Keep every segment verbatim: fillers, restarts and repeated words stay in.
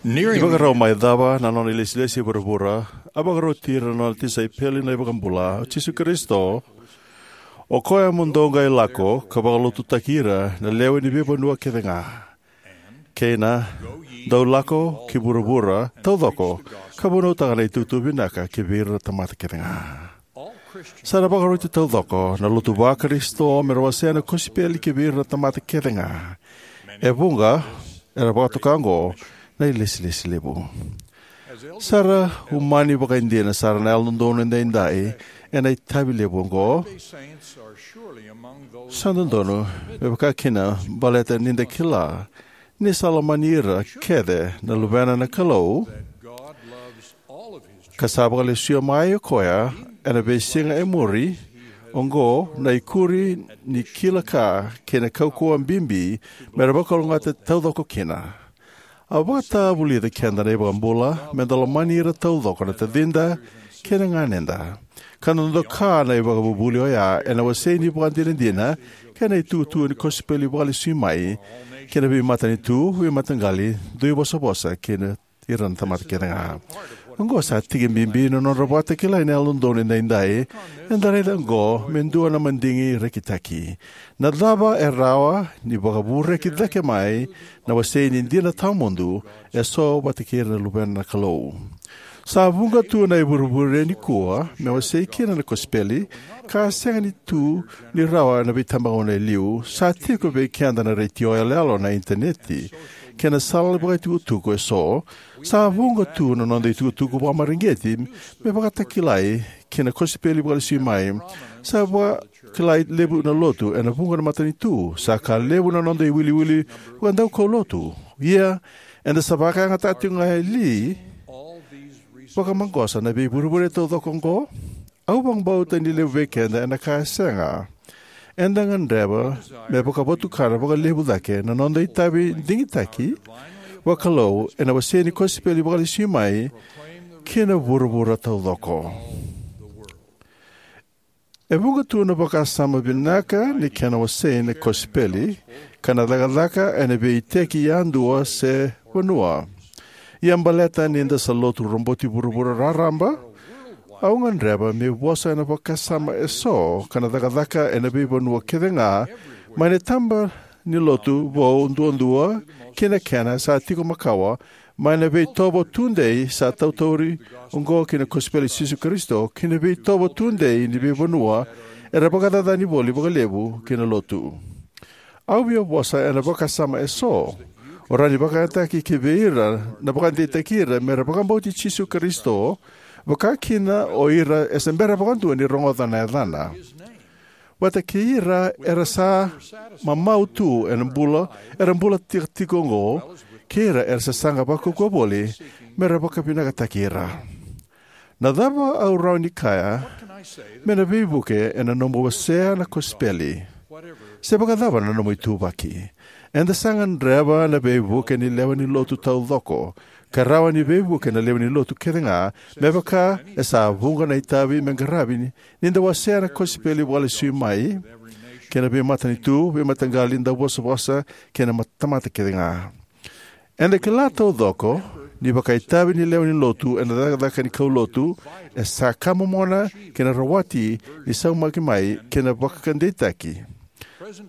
Ni vakarau mai cava na nona ilesilesi e vuravura, a vakaroti ira na nona tisaipeli na iVakabula, o Jisu Karisito. O koya mo dou qai lako ka vakalotutaki ira na lewe ni veivanua kece ga. Kei na, dou lako ki vuravura taucoko, ka vunautaka na itukutuku vinaka ki vei ira na tamata kece ga. Sa na vakaroti taucoko na lotu va-Karisito me ra wasea na kosipeli ki vei ira na tamata kece ga. E vuqa era vakatoka oqo na ilesilesi levu. Sa ra umani vakaidina sara na Yalododonu Edaidai ena itavi levu oqo. Sa dodonu me vaka kina baleta ni da kila ni sa lomani ira kece na Luvena na Kalou, ka sa vakalesuya mai o koya ena veisiga e muri oqo na ikuri ni kila ka kei na kaukauwa bibi me ra vakalougatataki taucoko kina. A vakatavulici keda na iVakabula me da lomani ira taucoko na tacida kei na ganeda. Ka na noda ka na ivakavuvuli oya ena wasei ni vakadinadina kei na itukutuku ni kosipeli vakalesui mai ki na veimatanitu, veimataqali, duivosavosa kei na ira na tamata kece ga. Oqo sa tiki bibi na nodra vakatakilai na Yalododonu Edaidai. Eda raica oqo me dua na madigi rekitaki. Na cava e rawa ni vakavureki cake mai na wasei ni dina tawamudu e so vata kei ira na Luvena na Kalou? Sa vuqa tu na ivurevure nikua me wasei kina na kosipeli, ka sega ni tu ni rawa ena veitabagauna e liu. Sa tiko vei keda na retio yaloyalo, na initaneti, kei na sala ni vakaitukutuku e so. Sa vuqa tu na noda itukutuku vakamareqeti me vakatakilai ki na kosipeli vakalesui mai. Sa vakilai levu na lotu ena vuqa na matanitu. Sa ka levu na noda iwiliwili vakadaukaulotu. Ia, eda sa vakayagataka tiko ga e li vakamaqosa na veivurevure taucoko oqo? Au vakabauta ni levu vei keda ena kaya sega. Eda gadreva me vakavotukana vakalevu cake na noda itavi digitaki vakalou ena wasei ni kosipeli vakalesui mai ki na vuravura taucoko. E vuqa tu na vakasama vinaka ni kena wasei na kosipeli ka na cakacaka ena veiiteki yadua se vanua. Ia baleta ni da sa lotu roboti vuravura raraba, au gadreva meu vosa ena vakasama e so ka na cakacaka ena veivanua kece ga, mai na taba ni lotu vou duadua ki na kena sa tiko makawa, mai na veitovo tudei sa tautauri oqo ki na kosipeli i Jisu Karisito, ki na veitovo tudei ni veivanua era vakacacani voli vakalevu ki na lotu. Au via vosa ena vakasama e so. O rawa ni vakayagataki ki vei ira na vakadeitaki ira me ra vakabauti Jisu Karisito, vaka kina o ira e se bera vakadua ni rogoca na yacana. Vata kei ira era sa mamau tu ena bula, era bula tiko tiko oqo, kei ira era sasaga vakaukauwa voli me ra vakavinakataki ira. Na cava au rawa ni kaya me na veivuke ena nomu wasea na kosipeli? Se vakacava na nomu ituvaki, eda sa gadreva na veivuke ni lewe ni lotu taucoko, ka rawa ni veivuke na lewe ni lotu kece ga, me vaka e sa vuqa na itavi me qaravi ni, ni da wasea na kosipeli vakalesui mai ki na veimatanitu, veimataqali, dauvosavosa kei na mat-, tamata kece ga. Eda kila taucoko ni vakaitavi ni lewe ni lotu ena cakacaka ni kaulotu e sa ka momona ki na rawati ni saumaki mai kei na vakadeitaki.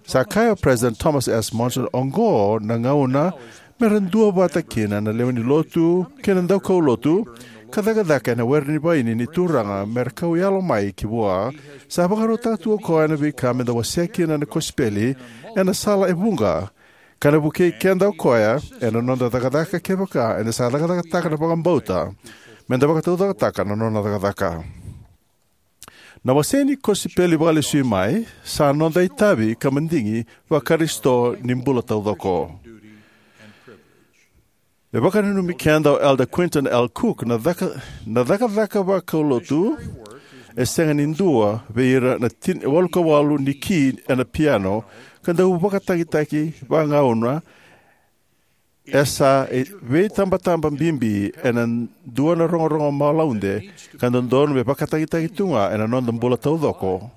Sa kaya o President Thomas S. Monson, oqo na gauna me ra duavata kina na lewe ni lotu kei na daukaulotu ka cakacaka ena were ni vaini ni Turaga me ra kau yalo mai ki vua. Sa vakarautaka tu o koya na veika me da wasea kina na kosipeli ena sala e vuqa, ka na vukei keda o koya ena noda cakacaka kevaka eda sa cakacakataka na vakabauta me da vakataucokotaka na nona cakacaka. Na wasei ni kosipeli vakalesui mai sa noda itavi ka madigi va-Karisito ni bula taucoko. E vakananumi keda o Elder Quentin L. Cook, na caka, na cakacaka vakaulotu e sega ni dua vei ira na tin-, walu ka walu ni ki ena piano ka dau vakatagitaki vagauna. E sa, e, veitabataba bibi ena dua na rogorogo malaude ka dodonu me vakatagitaki tu ga ena noda bula taucoko,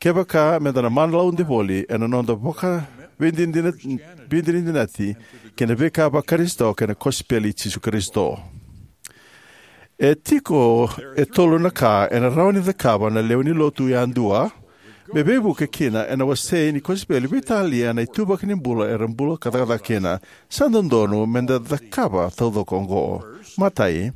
kevaka me da na malaude voli ena noda vaka, veidinadina-, veidinadinati kei na veika vaKarisito kei na kosipeli i Jisu Karisito. E tiko e tolu na ka ena rawa ni cakava na lewe ni lotu yadua me veivuke kina ena wasei ni kosipeli, veitalia na ituvaki ni bula era bula ka cakacaka kina. Sa dodonu meda cakava taucoko oqo. Matai,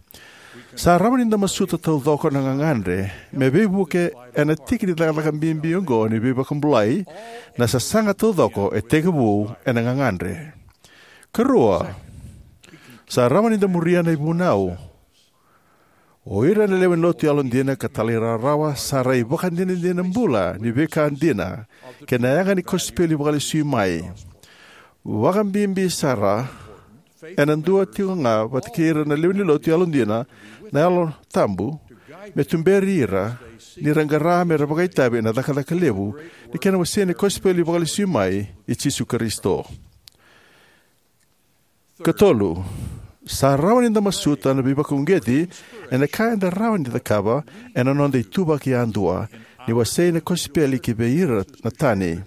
sa rawa ni da masuta taucoko na gagadre me veivuke ena tiki ni cakacaka bibi oqo ni veivakabulai. Na sasaga taucoko e tekivu ena gagadre. Karua, sa rawa ni da muria na ivunau. O ira na lewe ni lotu yalodina ka talairawarawa sa ra ivakadinadina bula ni veika dina kei na yaga ni kosipeli vakalesui mai. Vakabibi sara, ena dua tiko ga vata kei ira na lewe ni lotu yalodina na Yalo Tabu me tuberi ira ni ra qara me ra vakaitavi ena cakacaka levu ni kena wasei na kosipeli vakalesui mai i Jisu Karisito. Katolu, sa rawa ni da masuta na veivakauqeti ena ka eda rawa ni cakava ena noda ituvaki yadua ni wasei na kosipeli ki vei ira na tani.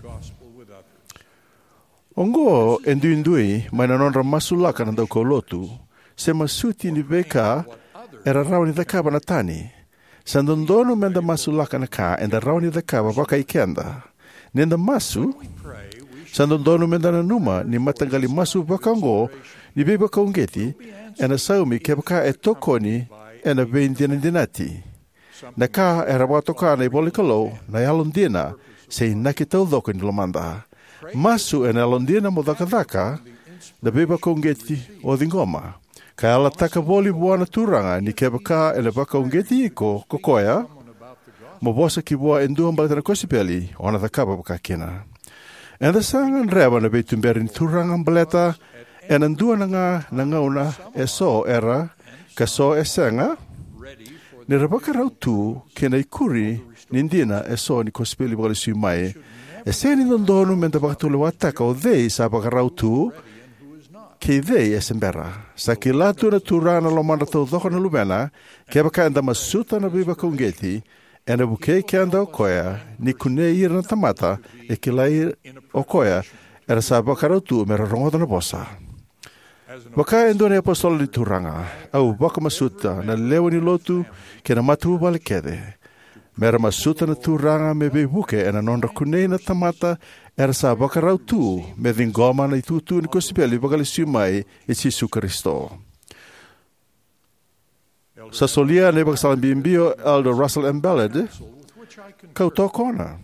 Oqo e duidui mai na nodra masulaka na daukaulotu se masuti ni veika era rawa ni cakava na tani. Sa dodonu meda masulaka na ka eda rawa ni cakava vakai keda. Ni da masu, sa dodonu meda nanuma ni mataqali masu vakaoqo ni veivakauqeti ena saumi kevaka e tokoni ena veidinadinati. Na ka era vakatoka na ivola ni Kalou na yalodina se inaki taucoko ni lomada. Masu ena yalodina mo cakacaka na veivakauqeti o ciqoma, ka yalataka voli vua na Turaga ni kevaka ena vakauqeti iko ko koya mo vosa ki vua e dua baleta na kosipeli, o na cakava vakakina. Eda sa gadreva na veituberi ni Turaga baleta ena dua na ga na gauna e so era, ka so e sega, ni ra vakarau tu ki na ikuri ni dina e so ni kosipeli vakalesui mai. E sega ni dodonu meda vakatulewataka o cei sa vakarau tu kei cei e se bera. Sa kila tu na Turaga na lomadra taucoko na luvena. Kevaka eda masuta na veivakauqeti, ena vukei keda o koya ni kunei ira na tamata e kilai o koya era sa vakarau tu me ra rogoca na vosa. Vaka e dua na iapositolo ni Turaga, au vakamasuta na lewe ni lotu kei na matavuvale kece me ra masuta na Turaga me veivuke ena nodra kunei na tamata era sa vakarau tu me ciqoma na itukutuku ni kosipeli vakalesui mai i Jisu Karisito. Sa solia na ivakasala bibi o Elder Russell M. Ballard, kau tokona.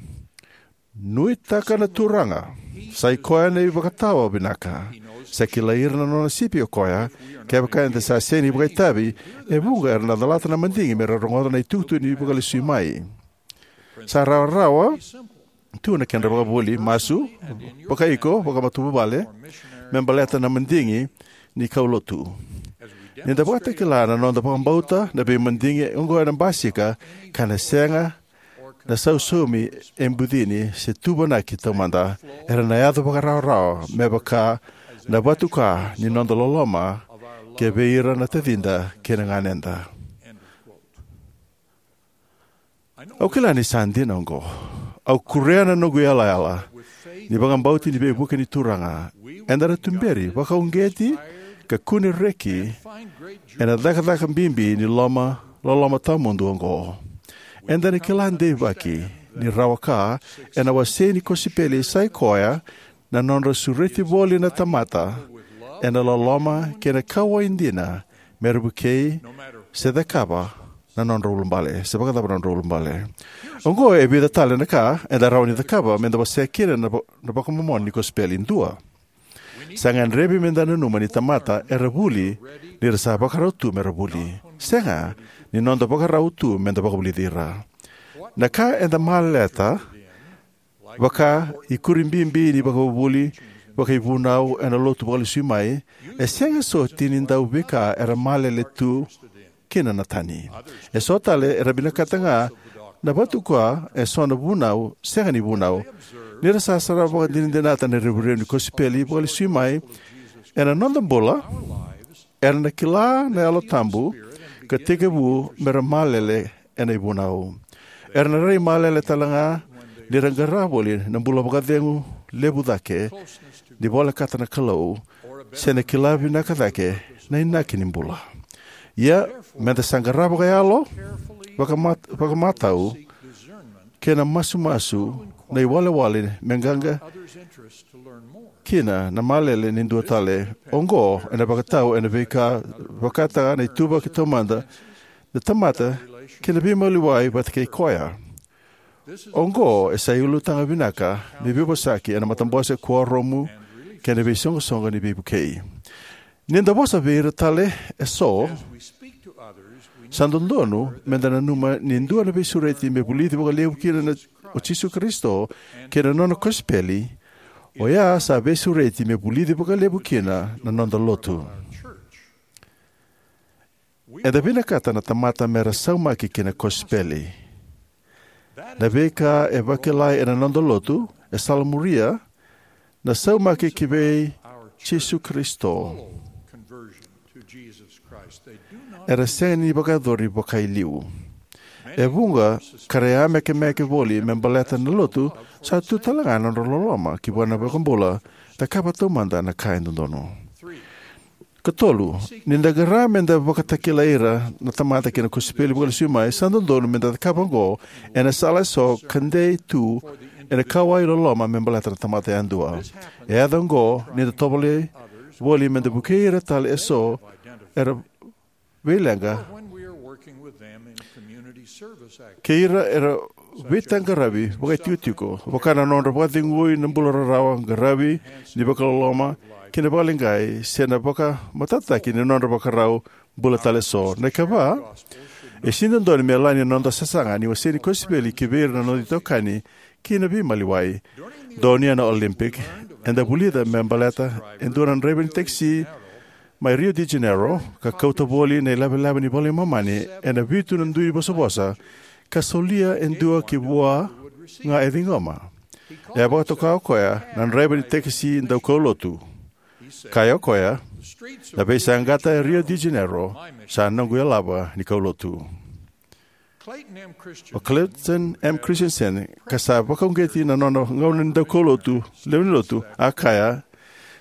Nuitaka na Turaga, sa i koya na ivakatawa vinaka. Sa kilai ira na nona sipi o koya. Kevaka eda sa sega ni vakaitavi, e vuqa era na calata na madigi me ra rogoca na itukutuku ni vakalesui mai. Sa rawarawa tu na kedra vakavuli, masu vakaiko, vakamatavuvale, me baleta na madigi ni kaulotu. Ni da vakatakila na noda vakabauta, na veimadigi oqo ena basika ka na sega na sausaumi e bucini se tuvanaki taumada. Era na yaco vakarawarawa me vaka na vatuka ni noda loloma ki vei ira na tacida kei na ganeda. Au kila ni sa dina oqo. Au kurea na noqu yalayala ni vakabauti ni veivuke ni Turaga, eda na tuberi, vakauqeti, ka kune reki ena cakacaka bibi ni loma, loloma tawamudu oqo. Eda na kila deivaki ni rawa ka ena wasei ni kosipeli sa i koya na nodra sureti voli na tamata ena loloma kei na kauwai dina me ra vukei se cakava na nodra ulubale, se vakacava na nodra ulubale. Oqo e vica tale na ka eda rawa ni cakava me da wasea kina na, na vakamomona ni kosipeli. Dua, sa gadrevi me da nanuma ni tamata era vuli ni ra sa vakarau tu me ra vuli. Sega ni noda vakarau tu me da vakavulici ira. Na ka eda maleta, vaka ikuri bibi ni vakavuvuli, vakaivunau ena lotu vakalesui mai, e sega soti ni dau veika era malele tu kina na tani. E so tale era vinakata ga na vatuka e so na vunau sega ni vunau. Ni ra sa sara vakadinadinata na revurevu ni kosipeli vakalesui mai ena noda bula, era na kila na Yalo Tabu ka tekivu me ra malele ena ivunau. Era na rai malele tale ga ni ra qara voli na bula vakacegu levu cake ni volekata na Kalou, se na kila vinaka cake na inaki ni bula. Ia, meda sa qarava vakayalo, vakamat-, vakamatau, kei na masumasu na iwalewale me qaqa kina na malele ni dua tale. Oqo ena vakatau ena veika vakataka na ituvaki taumada na tamata kei na veimaliwai vata kei koya. Oqo e sa iulutaga vinaka me veivosaki ena matabose, kuoramu, kei na veisoqosoqo ni veivukei. Ni da vosa vei ira tale eso, sa dodonu meda nanuma ni dua na veisureti me vulici vakalevu kina na, o Jisu Karisito kei na nona kosipeli, oya sa veisureti me vulici vakalevu kina na noda lotu. Eda vinakata na tamata mera saumaki ki na kosipeli. Na veika e vakilai ena noda lotu e salamuria na saumaki ki vei Jisu Karisito. Era sega ni vakayacori vakailiu. E vuqa ka ra yamekemeke voli me baleta na lotu, sa tu talega na nodra loloma ki vua na iVakabula, cakava taumada na ka e dodonu. Katolu, ni da qara meda vakatakilai ira na tamata ki na kosipeli vakalesui mai, sa dodonu meda cakava oqo ena sala eso ka dei tu ena kauwai loloma me baleta na tamata yadua. E yaco oqo ni da tovolei voli meda vukei ira tale eso era veileqa kei ira era veitaqaravi vakaitikotiko, vaka na nodra vakacegui na bula rarawa, qaravi ni vakaloloma, kei na vakaleqai, se na vakamatatataki ni nodra vakarau bula tale eso. Na ikava, e sega ni dodonu me yalani na noda sasaga ni waseni kosipeli ki vei ira na noda itokani kei na veimaliwai. Donuya na Olympic, eda vulica me baleta e dua na draiva ni takisi mai Rio de Janeiro ka kauta voli na ilavelave ni iVola i Momani ena vitu na dui vosavosa, ka solia e dua ki vua ga e ciqoma. E a vakatoka o koya na draiva ni takisi daukaulotu. Kaya o koya, "Na veisaqata e Rio de Janeiro sa noqu yalava ni kaulotu." O Clayton M. Christensen, ka sa vakauqeti na nona gauna ni daukaulotu, lewe ni lotu, a kaya,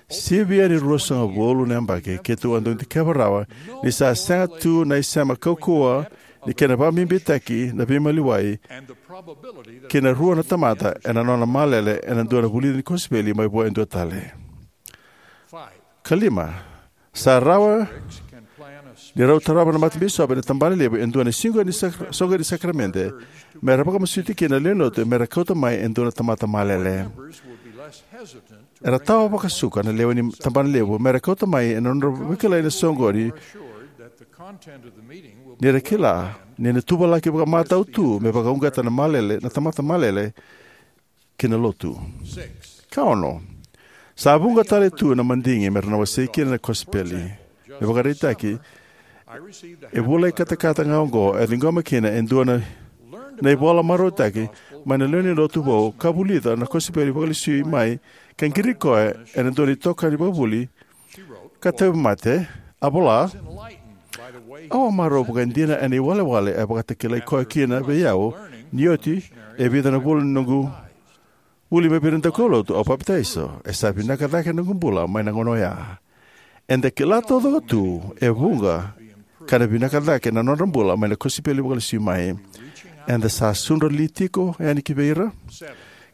"Sivia ni ruasagavulu na yabaki keitou a dau dikeva rawa ni sa sega tu na isema kaukauwa ni kena vakabibitaki na veimaliwai kei na rua na tamata ena nona malele ena dua na vulici ni kosipeli mai vua e dua tale." Kalima, sa rawa ni rau tarava na matabisopi ena tabana levu e dua na siga ni sak-, soqo ni sakaramede, me ra vakamasuti kina na lewe ni lotu me ra kauta mai e dua na tamata malele. Era tawa vakasuka na lewe ni tabana levu me ra kauta mai ena nodra vakilai na soqoni, ni ra kila ni na tuvalaki vakamatau tu me vakauqeta na malele, na tamata malele, ki na lotu. Ka ono, sa vuqa tale tu na madigi me ra na wasei kina na kosipeli. Me vakaraitaki, e vula i katakata ga oqo e ciqoma kina e dua na, na ivola marautaki mai na lewe ni lotu vou, ka vulica na kosipeli vakalesui mai ka qiri koya ena dua na itokani vakavuli ka tauvimate. A vola, "Au a marau vakaidina ena iwalewale e vakatakilai koya kina vei au, ni oti e vica na vula ni noqu vuli mai vei ira na daukaulotu, au papitaiso. E sa vinaka cake na noqu bula mai na gauna oya." Eda kila taucoko tu e vuqa ka na vinaka cake na nodra bula mai na kosipeli vakalesui mai. Eda sa sudra li tiko yani ki vei ira?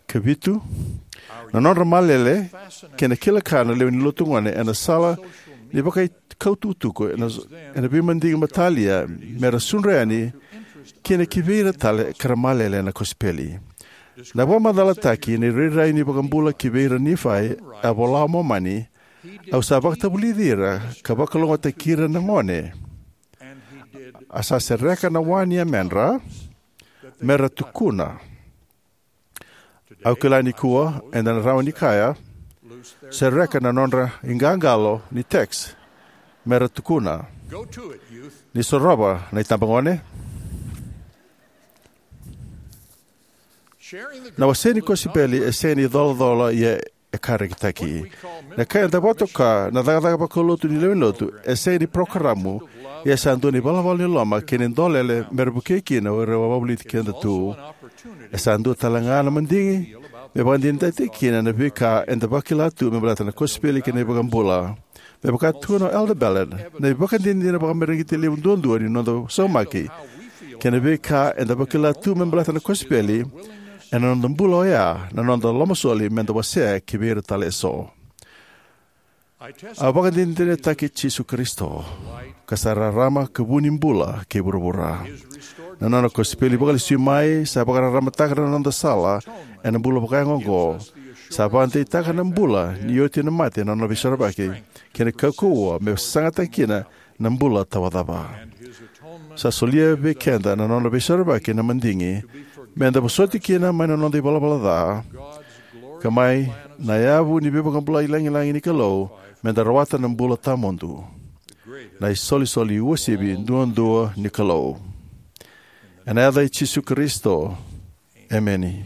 Ka vitu, na nodra malele kei na kila ka na lewe ni lotu gone ena sala ni vakaikau tukutuku ena, ena veimadigi matalia me ra sudra yani kina ki vei ira tale ka ra malele na kosipeli. Na vakamacalataki ni rairai ni vakabula ki vei ira Nifai, a vola o Momani, "Au sa vakatavulici ira ka vakalougatataki ira na gone. A sa sereka na wa ni yamedra me ra tukuna." Au kila nikua eda na rawa ni kaya, "Sereka na nodra iqaqalo ni text me ra tukuna." Ni sorova na itabagone. Na wasei ni kosipeli e sega ni colacola, ia e ka rekitaki. Na ka eda vakatoka na cakacaka vakaulotu ni lewe ni lotu e sega ni parokaramu, ia sa dua na ivalavala ni loloma kei na dolele me ra vukei kina o ira era wavoliti keda tu. E sa dua tale ga na madigi Me vakadinadinataki kina na veika eda vakila tu me baleta na kosipeli kei na iVakabula. Me vaka tukuna o Elder Ballard, na ivakadinadina vakamareqeti levu duadua ni noda saumaki kei na veika eda vakila tu me baleta na kosipeli ena noda bula oya na noda lomasoli meda wasea kivei ira tale eso. A vakadinadinataki Jisu Karisito, ka sa rarama ka vu ni bula kei vuravura. Na nona kosipeli vakalesui mai sa vakararamataka na noda sala ena bula vakayago oqo. Sa vakadeitaka na bula ni oti na mate na nona veisorovaki kei na kaukauwa me sagataki kina na bula tawacava. Sa solia vei keda na nona veisorovaki na madigi meda vosoti kina mai na noda ivalavala ca ka mai na yavu ni veivakabulai lagilagi ni Kalou meda rawata na bula tawamudu, na isolisoli uasivi duadua ni Kalou. Ena yaca i Jisu Karisito, emeni.